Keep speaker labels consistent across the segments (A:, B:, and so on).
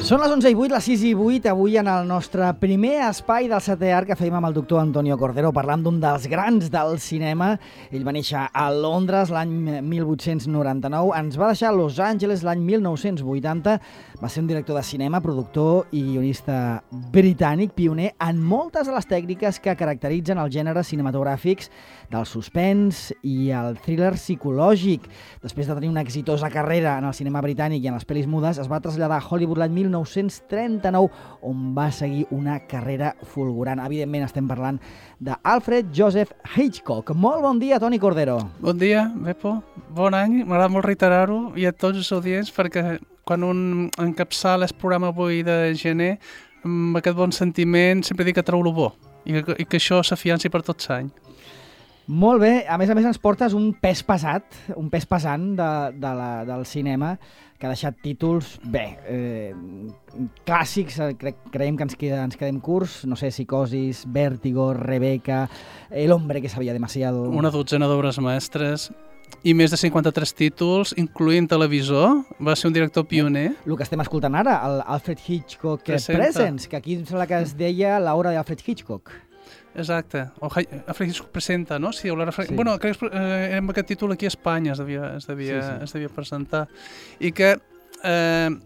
A: Són les 11:08, les 6:08, avui en el nostre primer espai del setè art que fèiem amb el doctor Antonio Cordero, parlant d'un dels grans del cinema. Ell va néixer a Londres l'any 1899, ens va deixar a Los Angeles l'any 1980, va ser un director de cinema, productor i guionista britànic, pioner en moltes de les tècniques que caracteritzen els gèneres cinematogràfics del suspens i el thriller psicològic. Després de tenir una exitosa carrera en el cinema britànic i en les pel·lis mudes, es va traslladar a Hollywood l'any 1939, on va seguir una carrera fulgurant. Evidentment estem parlant d'Alfred Joseph Hitchcock. Molt bon dia, Toni Cordero.
B: Bon dia, Bepo. Bon any. M'agrada molt reiterar-ho i a tots els audients, perquè quan un encapçala el programa avui de gener, amb aquest bon sentiment, sempre dic que treu lo bo i que això s'afianci per tot l'any.
A: Molt bé. A més ens portes un pes pesant del cinema, que ha deixat títols, clàssics, creiem que ens quedem curts, no sé, Psicosis, Vértigo, Rebeca, El hombre que sabía demasiado...
B: Una dotzena d'obres mestres i més de 53 títols, incloent televisor. Va ser un director pioner.
A: El que estem escoltant ara, l'Alfred Hitchcock Presents, que aquí em sembla que es deia l'obra d'Alfred Hitchcock.
B: Exacte. Alfred Hitchcock presenta, no? Sí. Bueno, crec que amb aquest títol aquí a Espanya es devia presentar. I que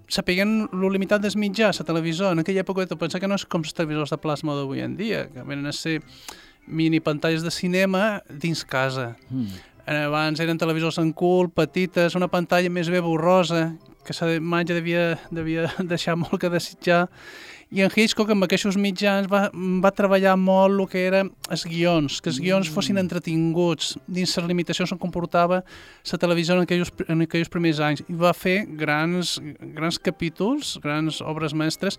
B: sapiguem lo limitat dels mitjans, la televisor, en aquella època tu pensa que no és com els televisors de plasma d'avui en dia, que venen a ser mini pantalles de cinema dins casa. Abans eren televisors en cul, petites, una pantalla més bé borrosa, que la imatge devia deixar molt que desitjar. I en Hitchcock, amb aquests mitjans, va treballar molt el que eren els guions, que els guions fossin entretinguts dins les limitacions on comportava la televisió en aquells primers anys. I va fer grans capítols, grans obres mestres.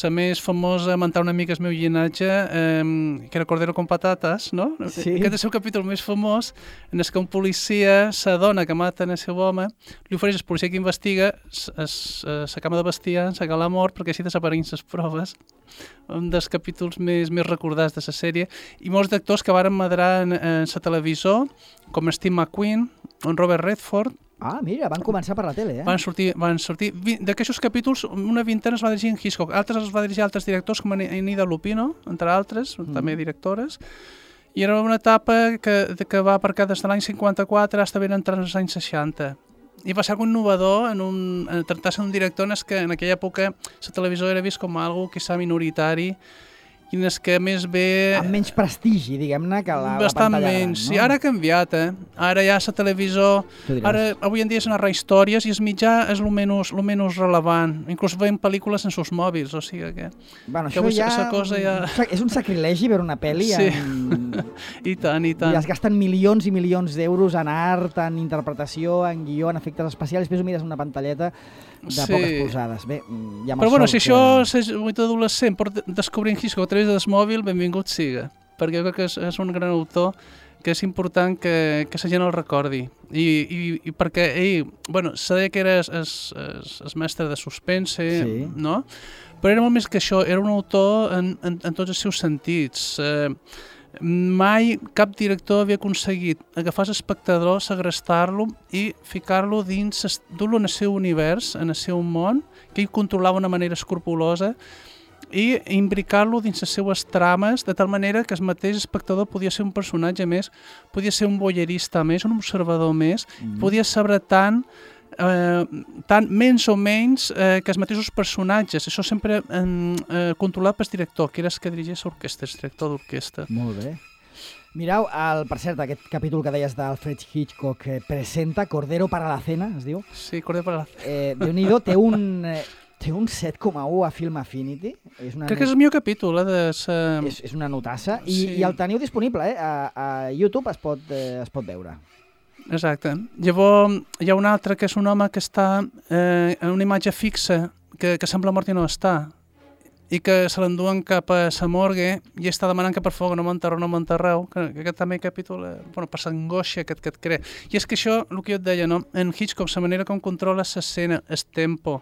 B: La més famosa, mentar una mica el meu llinatge, que era Cordero con patates, no? Sí. Aquest és el capítol més famós, en el que un policia s'adona que maten el seu home, li ofereix al policia que investiga la cama de bestiar, la gala mort, perquè així desapareixen les proves. Un dels capítols més recordats de la sèrie. I molts d'actors que varen madrar en la televisor, com Steve McQueen, en Robert Redford.
A: Ah, mira, van començar per la tele,
B: Van sortir. D'aquests capítols, una vintena es va dirigir en Hitchcock, altres es va dirigir a altres directors, com Enida Lupino, entre altres, també directores. I era una etapa que va aparcar des de l'any 54 fins ben entrant als anys 60. I va ser algo innovador en tractar-se d'un director en aquella època la televisió era vist com algo quizà minoritari i en què més bé...
A: Amb menys prestigi, diguem-ne, que la pantalla gran.
B: Bastant menys, sí. Ara ha canviat, Ara ja la televisió... Avui en dia és narrar històries i el mitjà és el menys relevant. Inclús veiem pel·lícules en els mòbils, o sigui que...
A: Bueno, això ja... És un sacrilegi veure una pel·li
B: I tant.
A: I es gasten milions i milions d'euros en art, en interpretació, en guió, en efectes especials, després ho mires en una pantalleta de poques polzades. Bé, ja
B: però bueno, si això és un adolescent per descobrir en Hitchcock a través del mòbil, benvingut siga, perquè jo crec que és un gran autor que és important que la gent el recordi. I perquè ell, se deia que era el mestre de suspense, no? Però era molt més que això, era un autor en tots els seus sentits. Mai cap director havia aconseguit agafar l'espectador, segrestar-lo i ficar-lo dins, dur-lo en el seu univers, en el seu món, que ell controlava d'una manera escrupulosa, i imbricar-lo dins les seues trames, de tal manera que el mateix espectador podia ser un personatge més, podia ser un voyerista més, un observador més, podia saber tant menys o menys que els mateixos personatges. Això sempre controlat pel director, que era el que dirigeix l'orquestra, el director d'orquestra.
A: Molt bé. Mireu, per cert, aquest capítol que deies d'Alfred Hitchcock presenta Cordero para la cena, es diu?
B: Sí, Cordero para la cena.
A: Déu-n'hi-do, té un 7,1 a Film Affinity.
B: Crec que és el millor capítol.
A: És una notassa. I el teniu disponible, a YouTube es pot veure.
B: Exacte. Llavors hi ha un altre que és un home que està en una imatge fixa, que sembla mort i no està, i que se l'enduen cap a la morgue i està demanant que per favor no m'enterreu, que aquest també capítol, per l'angoixa que et crea. I és que això, el que jo et deia, no? En Hitchcock, la manera com controla l'escena, el tempo,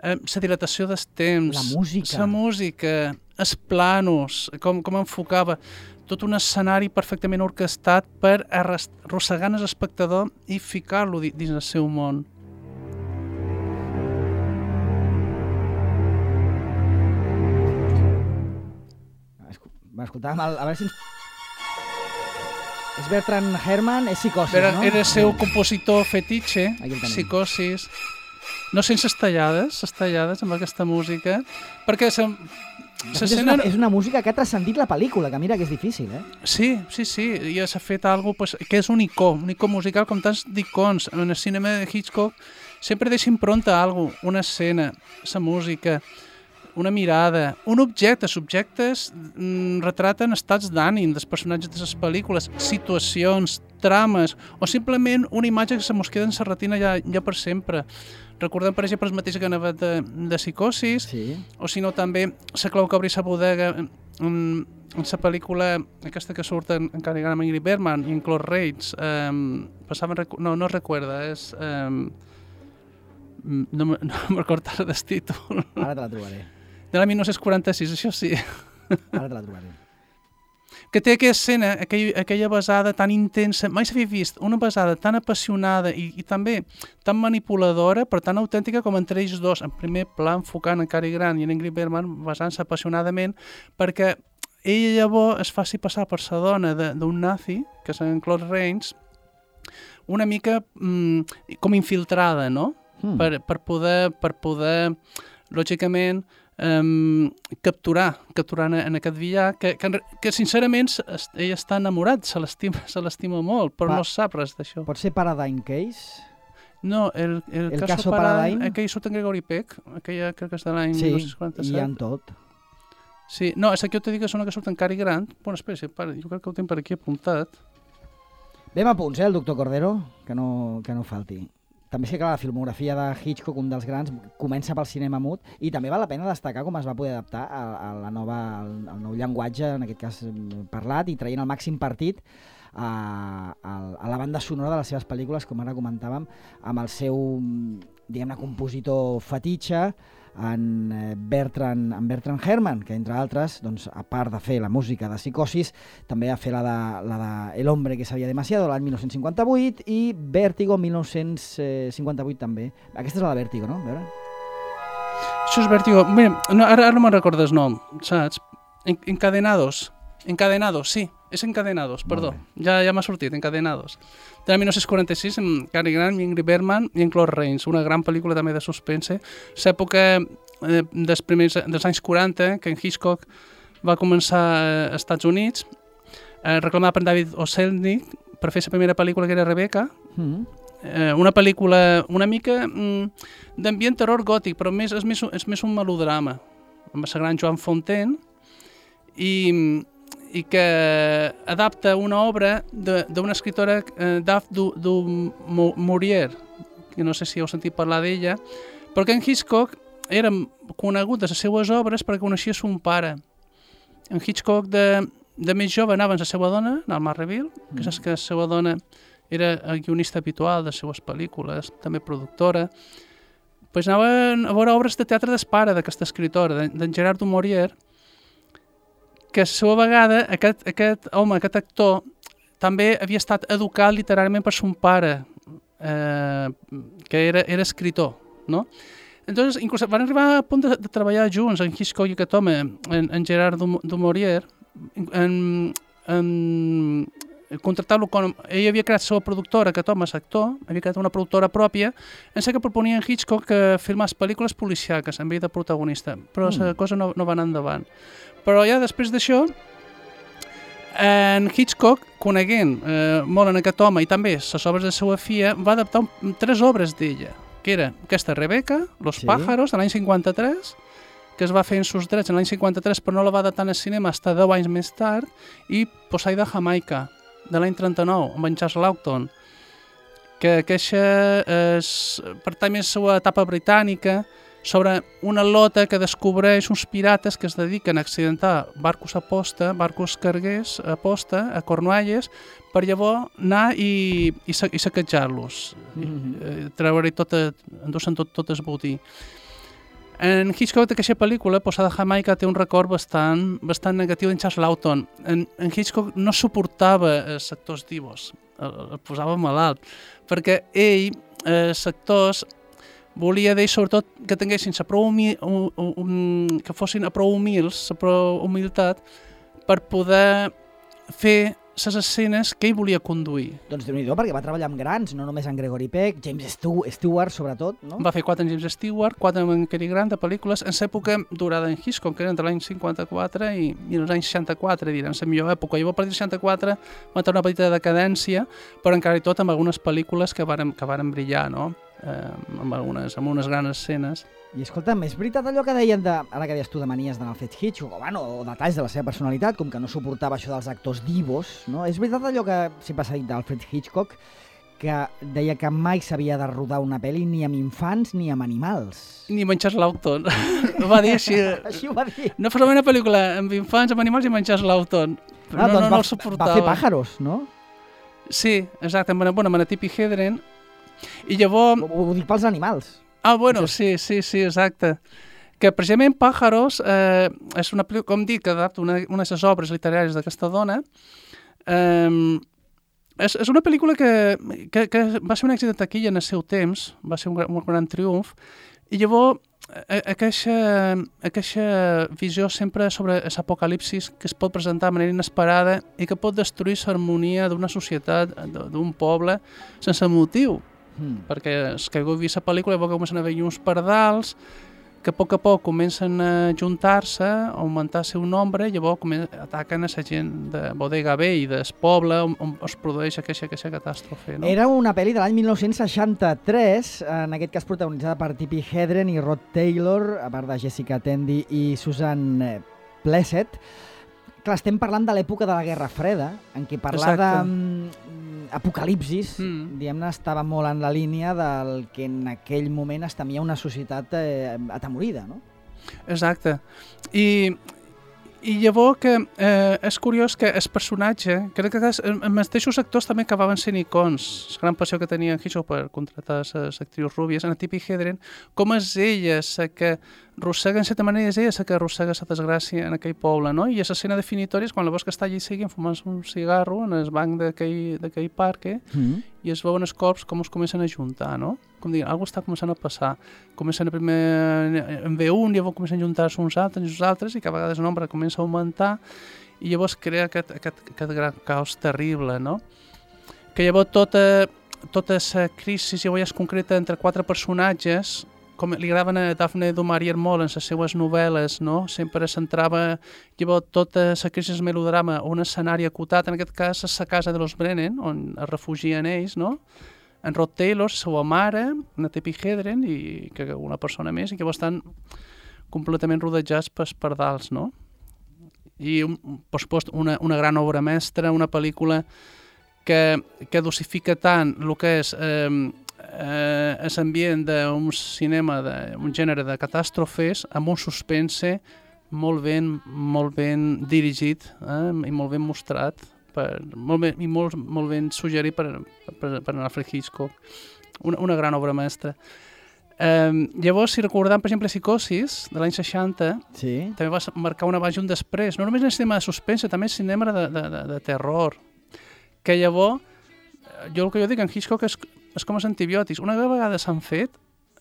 B: la dilatació del temps, la música, els planos, com enfocava, tot un escenari perfectament orquestat per arrossegar l'espectador i ficar-lo dins el seu món.
A: Escoltàvem, a veure si ens... És Bertrand Herrmann, és Psicosis, no?
B: Era el seu compositor fetitxe, Psicosis. No sense estallades amb aquesta música, perquè
A: és una música que ha transcendit la pel·lícula, que mira que és difícil, eh?
B: Sí, i s'ha fet alguna cosa que és un icó musical com tants d'icons. En el cinema de Hitchcock sempre deixa impronta alguna cosa, una escena, la música, una mirada, un objecte. Els objectes retraten estats d'ànim dels personatges de les pel·lícules, situacions, trames, o simplement una imatge que se mos queda en la retina ja per sempre. Recordem, per exemple, el mateix que anava de Psicosis, o si no també la clau que obri la bodega en la pel·lícula aquesta que surt en Cary Grant amb Ingrid Bergman i en Claude Rains, no recorda, és... no me'n recordo ara del títol.
A: Ara te la trobaré.
B: De la 1946, això sí.
A: Ara te la trobaré.
B: Que té aquella escena, aquella besada tan intensa, mai s'havia vist una besada tan apassionada i també tan manipuladora, però tan autèntica com entre ells dos, en primer pla enfocant en Cary Grant i en Ingrid Bergman, besant-se apassionadament, perquè ella llavors es faci passar per la dona d'un nazi, que és en Claude Rains, una mica com infiltrada, no? Per poder, lògicament, capturar en aquest villà, que sincerament ell està enamorat, se l'estima molt, però no sap res d'això.
A: Pot ser Paradigm Case?
B: No, el caso Paradigm, aquell surt en Gregory Peck, aquella crec que és de l'any 1947.
A: Sí, i en tot.
B: Sí, no, és que jo t'he dit que és una que surt en Cary Grant. Bueno, espera, jo crec que ho tinc per aquí apuntat.
A: Anem a punts, el doctor Cordero, que no falti. També és que, clar, la filmografia de Hitchcock, un dels grans, comença pel cinema mut i també val la pena destacar com es va poder adaptar al nou llenguatge, en aquest cas parlat, i traient el màxim partit a la banda sonora de les seves pel·lícules, com ara comentàvem, amb el seu, diguem-ne, compositor fetitxe, en Bertrand Herrmann, que entre altres, doncs, a part de fer la música de Psicosis, també va fer la de El hombre que sabía demasiado, l'any 1958, i Vértigo, 1958 també. Aquesta és la de Vértigo, no? A veure.
B: Això és Vértigo. Mira, ara no me'n recordo el nom, saps? Encadenados, sí. És Encadenados, perdó. Ja m'ha sortit, Encadenados. De 1946, amb Cary Grant, Ingrid Bergman i en Claude Rains. Una gran pel·lícula també de suspense. L'època dels anys 40, que en Hitchcock va començar als Estats Units, reclamat per David O. Selznick per fer la primera pel·lícula, que era Rebecca. Una pel·lícula una mica d'ambient terror gòtic, però és més un melodrama, amb la gran Joan Fontaine, i que adapta una obra d'una escritora, Daphne du Maurier, que no sé si heu sentit parlar d'ella, però que en Hitchcock era conegut de les seues obres perquè coneixia son pare. En Hitchcock de més jove anava amb la seva dona, al Marreville, que saps que la seva dona era el guionista habitual de les seues pel·lícules, també productora. Pues anaven a veure obres de teatre d'espara d'aquesta escritora, d'en Gerard du Maurier, que a la seva vegada aquest home, aquest actor, també havia estat educat literàriament per son pare, que era escritor, no? Entonces, inclús van arribar a punt de treballar junts, en Hitchcock i aquest home, en Gerard du Maurier, contractar-lo com... Ell havia creat la seva productora, aquest home és actor, havia creat una productora pròpia, en què proponia en Hitchcock que filmés pel·lícules policiaques en ell de protagonista, però la cosa no va anar endavant. Però ja després d'això, en Hitchcock, coneguent molt en aquest home i també les obres de la seva filla, va adaptar 3 obres d'ella, que era aquesta Rebecca, Los pájaros, de l'any 53, que es va fer en sus drets en l'any 53, però no la va adaptar al cinema fins 10 anys més tard, i Poseida Jamaica, de l'any 39, amb en Charles Laughton, que aquesta pertany més a la seva etapa britànica, sobre una lota que descobreix uns pirates que es dediquen a accidentar barcos carguers aposta a Cornualles, per llavors anar i saquejar-los, treure-hi endur-se'n tot el botí. En Hitchcock d'aquesta pel·lícula, Posada Jamaica, té un record bastant negatiu d'en Charles Laughton. En Hitchcock no suportava els actors divos, el posava malalt, perquè ell, els actors, volia d'ells sobretot que tinguessin que fossin a prou humils, la prou humilitat, per poder fer les escenes que ell volia conduir.
A: Doncs Déu-n'hi-do, perquè va treballar amb grans, no només en Gregory Peck, James Stewart, sobretot, no?
B: Va fer 4 amb James Stewart, 4 amb en Cary Grant de pel·lícules en l'època durada en Hitchcock, que era entre l'any 54 i els anys 64, direm, la millor època. Llavors, a partir del 64 va tenir una petita decadència, però encara i tot amb algunes pel·lícules que varen brillar, no? Amb unes grans escenes.
A: I escolta'm, és veritat allò que deien ara que deies tu de manies d'en Alfred Hitchcock, o detalls de la seva personalitat, com que no suportava això dels actors divos, no? És veritat allò que sempre s'ha dit d'Alfred Hitchcock, que deia que mai s'havia de rodar una pel·li ni amb infants ni amb animals.
B: Ni menjar l'Auton. Va dir així.
A: Així ho va dir.
B: No fos una pel·lícula amb infants, amb animals i menjar l'Auton.
A: Doncs
B: no el suportava.
A: Va fer Pájaros, no?
B: Sí, exacte, amb Manatip i Hedren. I llavors...
A: Ho dic pels animals.
B: Bueno, sí, exacte. Que precisament Pájaros és una pel·lícula, com dic, que adapta una de les obres literàries d'aquesta dona. És una pel·lícula que va ser un èxit de taquilla en el seu temps, va ser un gran triomf, i llavors aquesta visió sempre sobre l'apocalipsis que es pot presentar de manera inesperada i que pot destruir l'harmonia d'una societat, d'un poble, sense motiu. Perquè els que heu vist la pel·lícula llavors comencen a haver uns pardals que a poc comencen a juntar-se, a augmentar el seu nombre, i llavors ataquen a la gent de Bodega Bay i del poble on es produeix aquesta catàstrofe. No?
A: Era una pel·li de l'any 1963, en aquest cas protagonitzada per Tippi Hedren i Rod Taylor, a part de Jessica Tandy i Susan Plesset. Clar, estem parlant de l'època de la Guerra Freda, en què parlar d'apocalipsis, diguem-ne, estava molt en la línia del que en aquell moment es temia una societat atemorida, no?
B: Exacte. I llavors que és curiós que el personatge, crec que els mateixos actors també acabaven sent icons, la gran passió que tenia en Hitchcock per contratar les actrius rúbies, en Tippi Hedren, com és ella la que arrossega, en certa manera, és ella la que arrossega la desgràcia en aquell poble, no? I l'escena definitòria és quan la veus que està allí seguint fumant un cigarro en el banc d'aquell parc, i es veuen els corps com es comencen a juntar, no? Com diguin, alguna està començant a passar. Comencen a primer en ve un, llavors comencen a juntar-se uns altres, i que a vegades el nombre comença a augmentar, i llavors crea aquest gran caos terrible, no? Que llavors tota la crisi llavors és concreta entre 4 personatges, com li agraven a Daphne du Maurier molt en les seues novel·les, no? Sempre centrava llavors tota la crisi del melodrama a un escenari acotat, en aquest cas és la casa de los Brennan, on es refugien ells, no? En Rod Taylor, la seva mare, en Tippi Hedren i que una persona més, i que estan completament rodejats pels pardals, no? I, per supost, una gran obra mestra, una pel·lícula que dosifica tant el que és l'ambient d'un cinema, d'un gènere de catàstrofes, amb un suspense molt ben dirigit i molt ben mostrat, molt ben suggerit per Alfred Hitchcock. Una gran obra mestra. Llavors, si recordem, per exemple, Psicosis, de l'any 60, també va marcar un abans i un després, no només en el cinema de suspense, també en el cinema de terror, que llavors, el que jo dic en Hitchcock és com els antibiòtics. Una vegada s'han fet,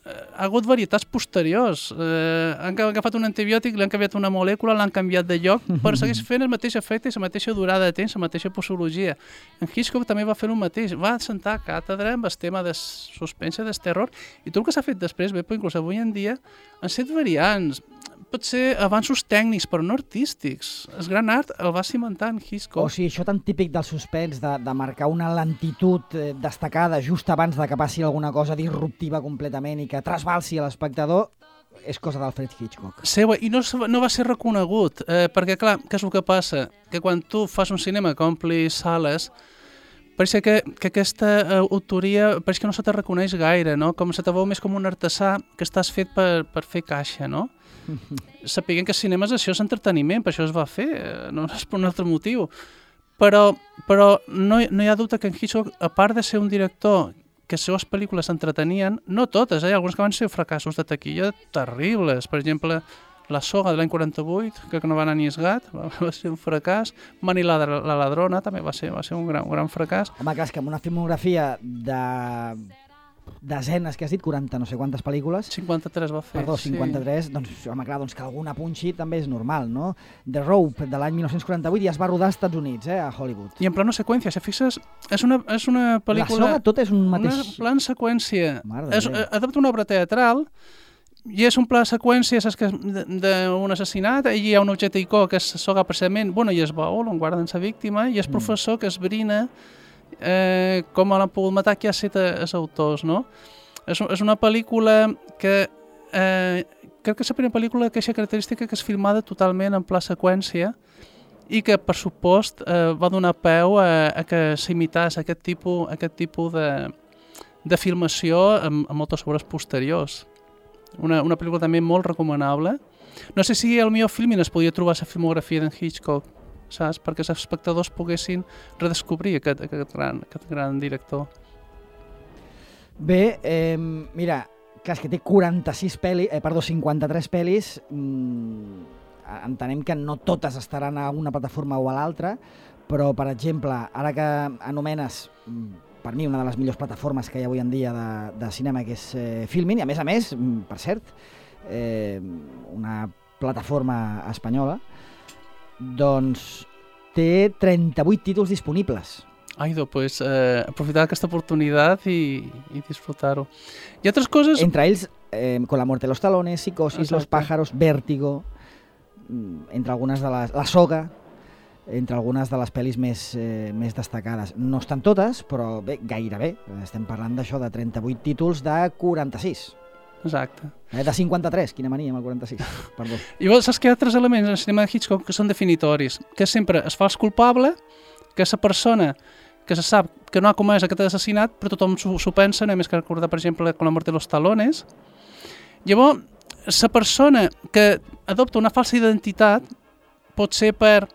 B: ha hagut varietats posteriors. Han agafat un antibiòtic, li han canviat una molècula, l'han canviat de lloc, però segueix fent el mateix efecte i la mateixa durada de temps, la mateixa posologia. En Hitchcock també va fer el mateix. Va sentar càtedra amb el tema de suspense, del terror, i tot el que s'ha fet després, bé, però inclús avui en dia, han set variants. Pot ser avanços tècnics, però no artístics. El gran art el va cimentar en Hitchcock.
A: O sigui, això tan típic del suspens, de marcar una lentitud destacada just abans de que passi alguna cosa disruptiva completament i que trasbalsi a l'espectador, és cosa d'Alfred Hitchcock.
B: Seva, i no va ser reconegut, perquè, clar, què és el que passa? Que quan tu fas un cinema que ompli sales, pareix que aquesta autoria pareix que no se te reconeix gaire, no? Com se te veu més com un artesà que estàs fet per fer caixa, no? Sapiguem que el cinema és això, és entreteniment, per això es va fer, no és per un altre motiu. Però no hi ha dubte que en Hitchcock, a part de ser un director que les seves pel·lícules s'entretenien, no totes, alguns que van ser fracassos de taquilla terribles. Per exemple, La soga de l'any 48, que no va anar ni esgat, va ser un fracàs. Manny la ladrona també va ser un gran fracàs.
A: Home, clar, és que amb una filmografia de desenes que has dit, 40 no sé quantes pel·lícules.
B: 53 va fer.
A: Perdó, 53, doncs, home, clar, doncs que alguna punxi també és normal, no? The Rope, de l'any 1948, ja es va rodar als Estats Units, a Hollywood.
B: I en plano seqüència, si fixes, és una pel·lícula...
A: La soga tot és un mateix...
B: Una plan seqüència. Adapta una obra teatral i és un pla seqüència, saps que d'un assassinat, i hi ha un objecte icó que és soga precisament, i és baúl on guarden la víctima, i és professor que esbrina com l'han pogut matar, qui ha set els autors, no? És una pel·lícula que crec que és la primera pel·lícula que és característica que és filmada totalment en pla seqüència i que, per supost, va donar peu a que s'imités aquest tipus de filmació en moltes obres posteriors. Una pel·lícula també molt recomanable. No sé si al millor filming es podia trobar la filmografia d'en Hitchcock, saps? Perquè els espectadors poguessin redescobrir aquest gran director.
A: Bé, mira, clar, és que té 53 pel·lis, entenem que no totes estaran a una plataforma o a l'altra, però, per exemple, ara que anomenes, per mi, una de les millors plataformes que hi ha avui en dia de cinema, que és Filmin, i a més, per cert, una plataforma espanyola, doncs té 38 títols disponibles.
B: Pues aprofitar aquesta oportunitat i disfrutar-ho. I altres coses...
A: Entre ells, Con la muerte de los talones, Psicosis, Exacte. Los pájaros, Vértigo, entre algunes de les... La soga, entre algunes de les pel·lis més destacades. No estan totes, però bé, gairebé. Estem parlant d'això, de 38 títols de 46.
B: Exacte.
A: De 53, quina mania amb el 46, perdó.
B: I saps que hi ha altres elements en el cinema de Hitchcock que són definitoris, que sempre es fals culpable, que és la persona que se sap que no ha comès aquest assassinat, però tothom s'ho pensa, només que recordar, per exemple, Con la muerte de los talones. Llavors, la persona que adopta una falsa identitat pot ser per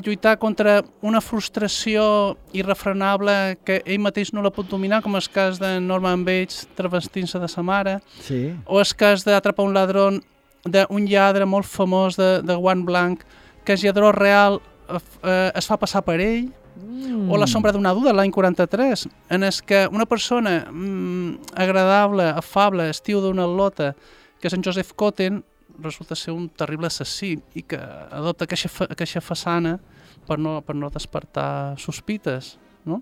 B: lluitar contra una frustració irrefrenable que ell mateix no la pot dominar, com el cas de Norman Bates travestint-se de sa mare,
A: sí.
B: O el cas d'Atrapar un ladrón d'un lladre molt famós de guant blanc, que el lladró real es fa passar per ell, o La sombra d'una duda, l'any 43, en el que una persona agradable, afable, estiu d'una al·lota, que és en Joseph Cotten, resulta ser un terrible assassí i que adopta aquesta façana per no despertar sospites, no?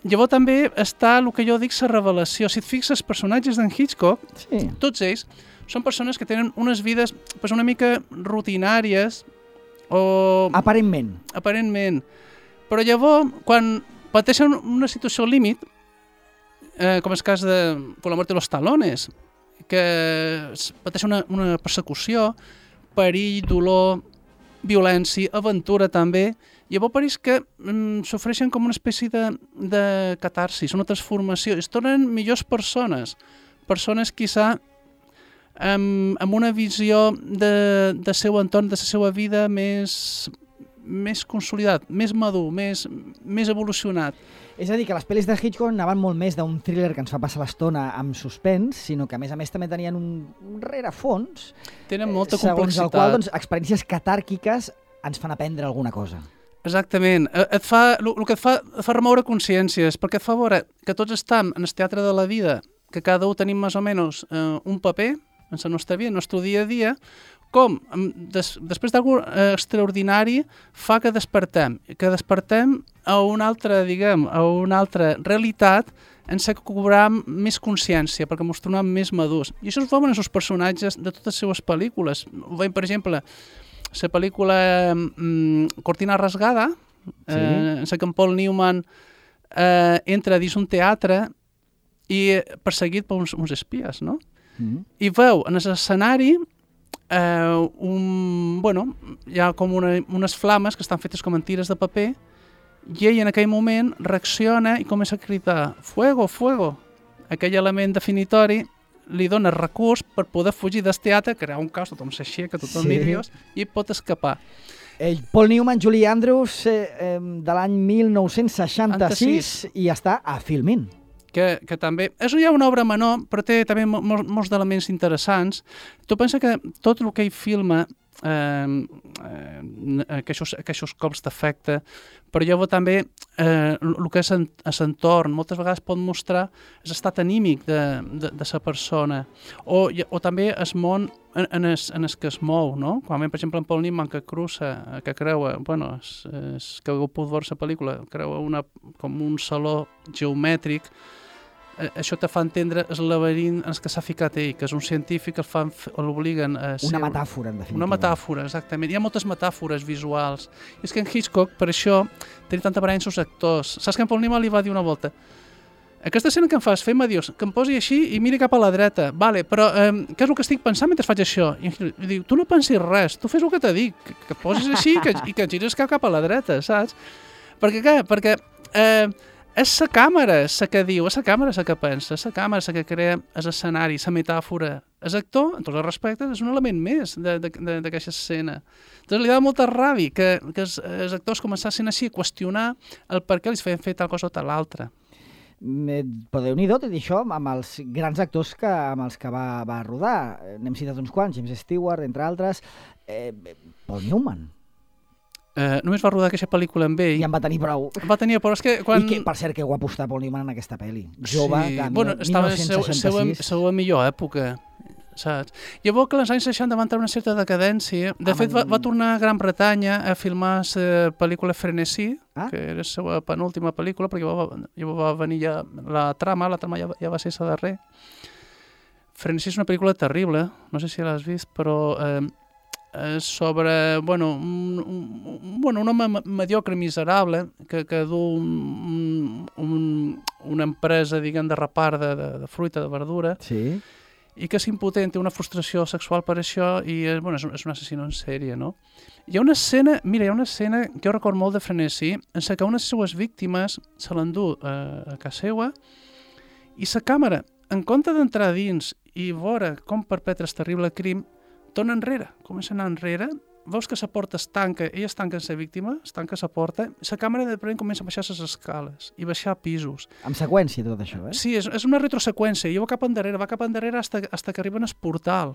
B: Llavors també està el que jo dic la revelació. Si et fixes, els personatges d'en Hitchcock, sí. Tots ells són persones que tenen unes vides una mica rutinàries o...
A: Aparentment.
B: Però llavors, quan pateixen una situació límit, com és el cas de Con la muerte de los talones, que pateix una persecució, perill, dolor, violència, aventura també, llavors pareix que s'ofereixen com una espècie de catarsis, una transformació, es tornen millors persones quizà amb una visió de seu entorn, de la seva vida més consolidat, més madur, més evolucionat.
A: És a dir, que les pel·lis de Hitchcock anaven molt més d'un thriller que ens fa passar l'estona amb suspens, sinó que a més també tenien un rerefons.
B: Tenen molta complexitat.
A: Segons el qual experiències catàrquiques ens fan aprendre alguna cosa.
B: Exactament. El que et fa remoure consciències, perquè et fa veure que tots estem en el teatre de la vida, que cada un tenim més o menys un paper en la nostra vida, en el nostre dia a dia, com després d'algú extraordinari fa que despertem a una altra, a una altra realitat en què cobrem més consciència, perquè ens tornem més madurs. I això es veuen en els personatges de totes les seves pel·lícules. Ho veiem, per exemple, la pel·lícula Cortina rasgada, sí. En què en Paul Newman entra dins un teatre i perseguit per uns espies, no? I veu en l'escenari hi ha com unes flames que estan fetes com en tires de paper i ell en aquell moment reacciona i comença a cridar fuego, fuego. Aquell element definitori li dona recurs per poder fugir del teatre, crear un caos, tothom s'aixeca, tothom nerviós i pot escapar.
A: Paul Newman, Julie Andrews, de l'any 1966 i està a Filmin.
B: Que també... És ja una obra menor, però té també molts d'elements interessants. Tu pensa que tot el que ell filma aquests cops d'efecte, però llavors també el que és l'entorn moltes vegades pot mostrar l'estat anímic de la persona o també el món en el que es mou, no? Quan, per exemple, en Paul Newman que cruça, que creua, bueno, que heu pogut veure la pel·lícula, creua com un saló geomètric, això te fa entendre el laberint en què s'ha ficat ell, que és un científic que l'obliguen a ser...
A: Una metàfora, en definitiva.
B: Una metàfora, exactament. Hi ha moltes metàfores visuals. I és que en Hitchcock, per això, tenia tanta aparença als actors. Saps que en Paul Newman li va dir una volta aquesta escena que em fas, fem-me, dius, que em posi així i miri cap a la dreta. Vale, però què és el que estic pensant mentre faig això? I diu, tu no pensis res, tu fes el que te dic, que et posis així i que gires cap a la dreta, saps? Perquè què? Perquè és la càmera la que diu, és la càmera la que pensa, és la càmera la que crea l'escenari, la metàfora. El tots els respectes, és un element més d'aquesta escena. Entonces li dava molta ràbia que els actors començassin així a qüestionar el per què els feien fer tal cosa o tal altra.
A: Però Déu-n'hi-do, tot això, amb els grans actors amb els que va rodar. N'hem citat uns quants, James Stewart, entre altres, Paul Newman.
B: Només va rodar aquesta pel·lícula amb ell.
A: I en va tenir prou.
B: Va tenir prou, és que quan...
A: I que, per cert, que guapo està Paul Newman en aquesta pel·li. Jove,
B: sí.
A: que
B: bueno, estava en la seva millor època, saps? Llavors que als anys 60 va entrar una certa decadència. De fet, va tornar a Gran Bretanya a filmar la pel·lícula Frenesí, que era la seva penúltima pel·lícula, perquè llavors va venir ja la trama ja va ser la darrera. Frenesí és una pel·lícula terrible, no sé si l'has vist, però... sobre un home mediocre, miserable, que du una empresa, diguem, de repart de fruita, de verdura,
A: sí.
B: I que és impotent, té una frustració sexual per això i és un assassino en sèrie, no? Hi ha una escena que jo recordo molt de Frenesí, en què una de les seues víctimes se l'endú a casa seva i la càmera, en compte d'entrar dins i veure com perpetra el terrible crim, torna enrere, comença a anar enrere, veus que la porta es tanca, ella es tanca en la víctima, es tanca la porta, la càmera de repente comença a baixar les escales i baixar pisos.
A: Amb seqüència tot això, eh?
B: Sí, és una retroseqüència, i va cap endarrere hasta que arriben al portal,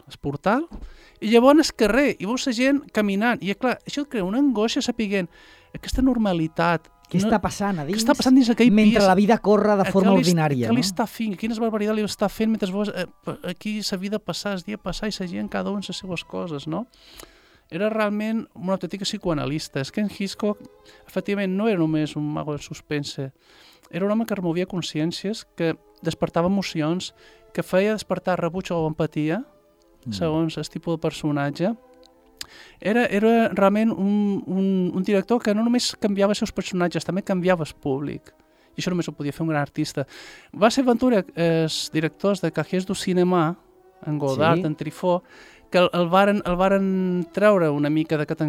B: i llavors al carrer, i veus la gent caminant, i clar, això crea una angoixa sapiguent aquesta normalitat.
A: Què està passant a dins?
B: Què està passant dins aquell pis?
A: Mentre la vida corre de forma ordinària,
B: no? Què li està fent? Quines barbaritats li està fent mentre veus aquí la vida passar, el dia passar i la gent cada un les seves coses, no? Era realment una autèntica psicoanalista. És que en Hitchcock, efectivament, no era només un mago del suspense. Era un home que removia consciències, que despertava emocions, que feia despertar rebuig o empatia, segons el tipus de personatge. Era realment un director que no només canviava els seus personatges, també canviava el públic. I això només ho podia fer un gran artista. Va ser Ventura, els directors de Cahiers du Cinéma, en Godard, sí. En Truffaut, que el varen treure una mica d'aquest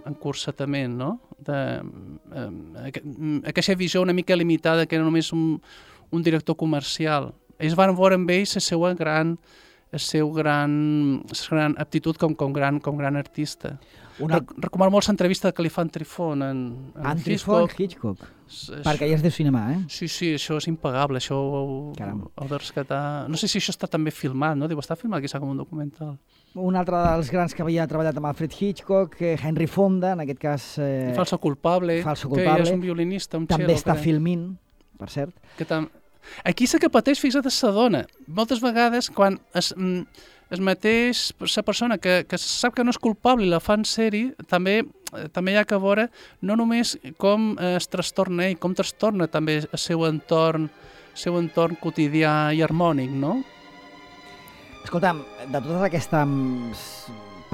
B: encursetament, no? Aquesta visió una mica limitada, que era només un director comercial. Ells van veure amb ells la seva gran aptitud com gran artista. Recomano molt l'entrevista que li fan Truffaut en
A: Hitchcock. Perquè ja es diu cinema, eh?
B: Sí, això és impagable, això ho de rescatar. No sé si això està també filmat, no? Diu, està filmat quizà com un documental.
A: Un altre dels grans que havia treballat amb Alfred Hitchcock, Henry Fonda, en aquest cas...
B: Falso culpable, que és un violinista, un
A: també està filmint, per cert.
B: Aquí sí que pateix, fixa't, la dona. Moltes vegades, quan es mateix la persona que sap que no és culpable i la fan sèrie, també hi ha que veure no només com es trastorna ell, com trastorna també el seu entorn quotidià i harmònic, no?
A: Escolta'm, de totes aquestes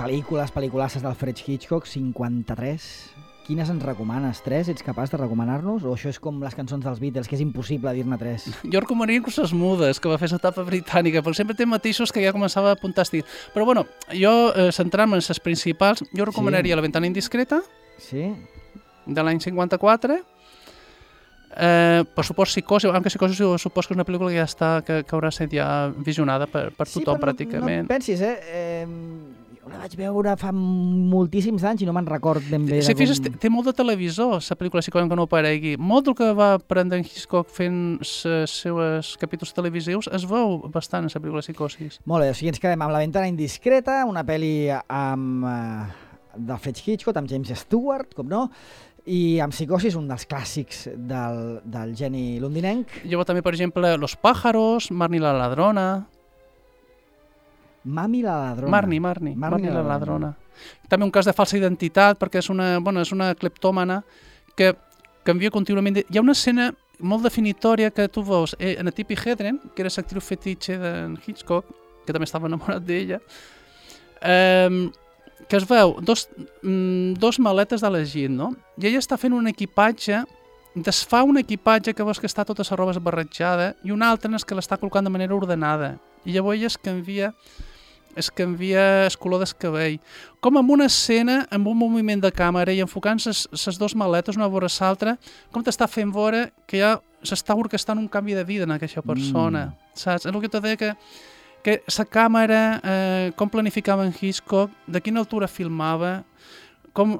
A: pel·lículasses d'Alfred Hitchcock, 53... Quines ens recomanes? 3? Ets capaç de recomanar-nos? O això és com les cançons dels Beatles, que és impossible dir-ne 3?
B: Jo recomanaria inclús les mudes, que va fer l'etapa britànica, perquè sempre té matisos que ja començava a apuntar estil. Però bueno, jo, centrant-me en les principals, jo recomanaria La ventana indiscreta, de l'any 54, per supost Psicosi, aunque Psicosi supos que és una pel·lícula que haurà estat ja visionada per tothom pràcticament.
A: No pensis, la vaig veure fa moltíssims anys i no me'n record ben bé.
B: Si fixes, té molt de televisor, la pel·lícula, si que no aparegui. Molt del que va aprendre en Hitchcock fent els seus capítols televisius es veu bastant en la pel·lícula Psicosis.
A: Molt bé, o sigui, ens quedem amb La ventana indiscreta, una pel·li d'Alfred Hitchcock, amb James Stewart, com no, i amb Psicosis, un dels clàssics del geni londinenc.
B: Llavors també, per exemple, Los pájaros, Marnie la ladrona...
A: Marnie la
B: ladrona. També un cas de falsa identitat, perquè és una cleptòmana que canvia contínuament. Hi ha una escena molt definitòria que tu veus en Tippi Hedren, que era l'actriu fetitxe d'en Hitchcock, que també estava enamorat d'ella, que es veu dos maletes de la gent, no? I ella està fent un equipatge, desfà un equipatge que veus que està tota la roba esbarratjada i una altra és que l'està col·locant de manera ordenada. I llavors ella es canvia el color del cabell. Com en una escena, amb un moviment de càmera i enfocant les dues maletes una vora l'altra, com t'està fent veure que ja s'està orquestant un canvi de vida en aquesta persona. Saps? És el que t'ho deia que la càmera, com planificava en Hitchcock, de quina altura filmava, com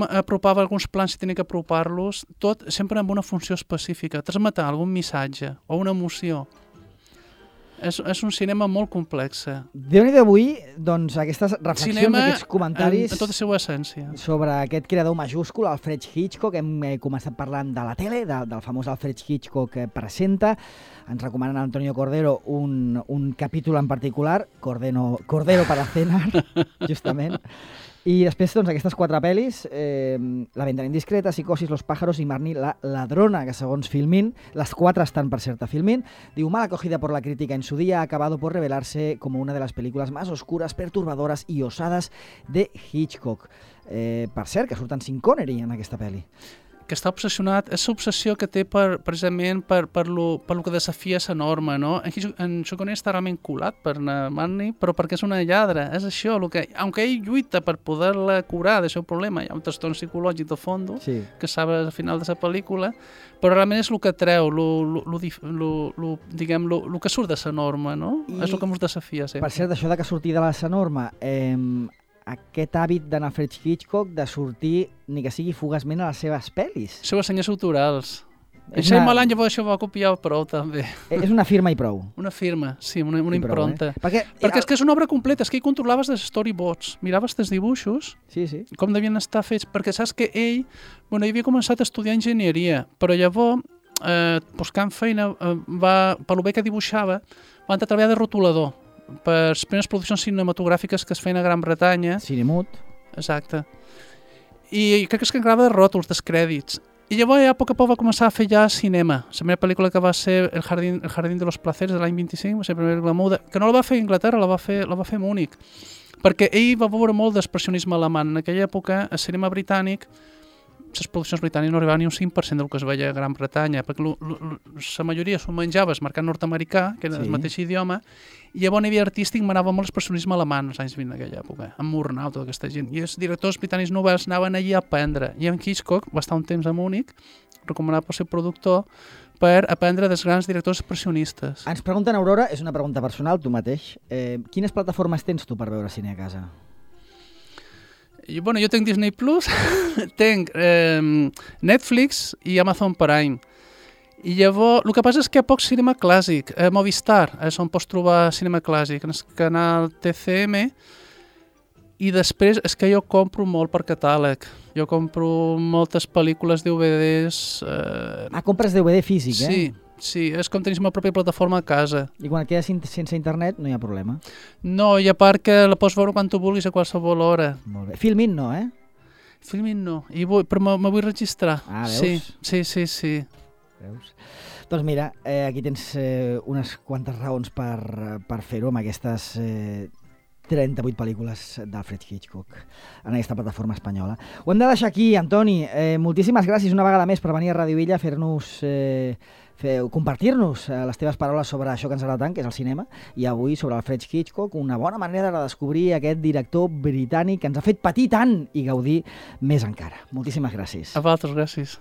B: apropava alguns plans si tenia que apropar-los, tot sempre amb una funció específica, transmetre algun missatge o una emoció. És un cinema molt complex.
A: Déu-n'hi-do avui, doncs, aquestes reflexions, aquests comentaris...
B: en tota la seva essència.
A: Sobre aquest creador majúscul, Alfred Hitchcock. Hem començat parlant de la tele, del famós Alfred Hitchcock que presenta. Ens recomanen a Antonio Cordero un capítol en particular, Cordero para cenar, justament. I després, doncs, aquestes 4 pel·lis, La ventana indiscreta, Psicosis, Los pájaros i Marnie la ladrona, que segons Filmin, las 4 están per cert a Filmin, diu, mal acogida por la crítica en su día, ha acabado por revelarse como una de las películas más oscuras, perturbadoras y osadas de Hitchcock. Per cert, que surten Sean Connery en aquesta pel·li.
B: Que està obsessionat, és l'obsessió que té precisament per lo que desafia la norma, no? En Sean Connery està realment colat per Marnie, però perquè és una lladra, és això, aunque ell lluita per poder-la curar del seu problema, hi ha un trastorn psicològic de fons, sí, que sabe al final de la pel·lícula, però realment és el que treu, el que surt de la norma, no? És el que ens desafia sempre.
A: Per cert, això de que surti de la norma, aquest hàbit d'en Alfred Hitchcock de sortir, ni que sigui fugaçment, a les seves pel·lis.
B: Les seves senyes autorals. Això Malan llavors això va copiar prou, també.
A: És una firma i prou.
B: Una firma, sí, una impronta.
A: Perquè
B: és que és una obra completa, és que hi controlaves els storyboards, miraves els dibuixos, com devien estar fets, perquè saps que ell havia començat a estudiar enginyeria, però llavors, buscant feina, per lo bé que dibuixava, va entrar a treballar de rotulador, per les primeres produccions cinematogràfiques que es feien a Gran Bretanya.
A: Cinemut.
B: Exacte. I crec que es encarregava de ròtols, dels crèdits. I llavors ja a poc va fer ja cinema. La primera pel·lícula que va ser El jardín de los placeres de l'any 25, va ser la primera pel·lícula muda, que no la va fer a Anglaterra, la va fer a Múnich. Perquè ell va veure molt d'expressionisme alemany. En aquella època, el cinema britànic, les produccions britàniques no arribaven ni un 5% del que es veia a Gran Bretanya, perquè la majoria s'ho menjava el mercat nord-americà, que era el mateix idioma, i llavors a nivell artístic manava molt l'expressionisme alemany als anys 20 en aquella època, amb Murnau, tota aquesta gent. I els directors britànics novells anaven allí a aprendre. I en Hitchcock va estar un temps a Múnich, recomanat pel seu productor, per aprendre dels grans directors expressionistes.
A: Ens pregunten, Aurora, és una pregunta personal, tu mateix, quines plataformes tens tu per veure cine a casa?
B: Jo tinc Disney Plus, tinc Netflix i Amazon Prime. I llavors, el que passa és que hi ha poc cinema clàssic. Movistar és on pots trobar cinema clàssic, en el canal TCM, i després és que jo compro molt per catàleg. Jo compro moltes pel·lícules, DVDs...
A: compres DVD físic,
B: Sí, és com tenir la pròpia plataforma a casa.
A: I quan et quedes sense internet no hi ha problema?
B: No, i a part que la pots veure quan tu vulguis a qualsevol hora.
A: Molt bé. Filmin no,
B: Filmin no, però me vull registrar.
A: Veus?
B: Sí.
A: Veus? Doncs mira, aquí tens unes quantes raons per fer-ho amb aquestes 38 pel·lícules d'Alfred Hitchcock en aquesta plataforma espanyola. Ho hem de deixar aquí, Antoni. Moltíssimes gràcies una vegada més per venir a Radio Villa a fer-nos... compartir-nos les teves paraules sobre això que ens agrada tant, que és el cinema, i avui sobre Alfred Hitchcock, una bona manera de descobrir aquest director britànic que ens ha fet patir tant i gaudir més encara. Moltíssimes gràcies.
B: A vosaltres, gràcies.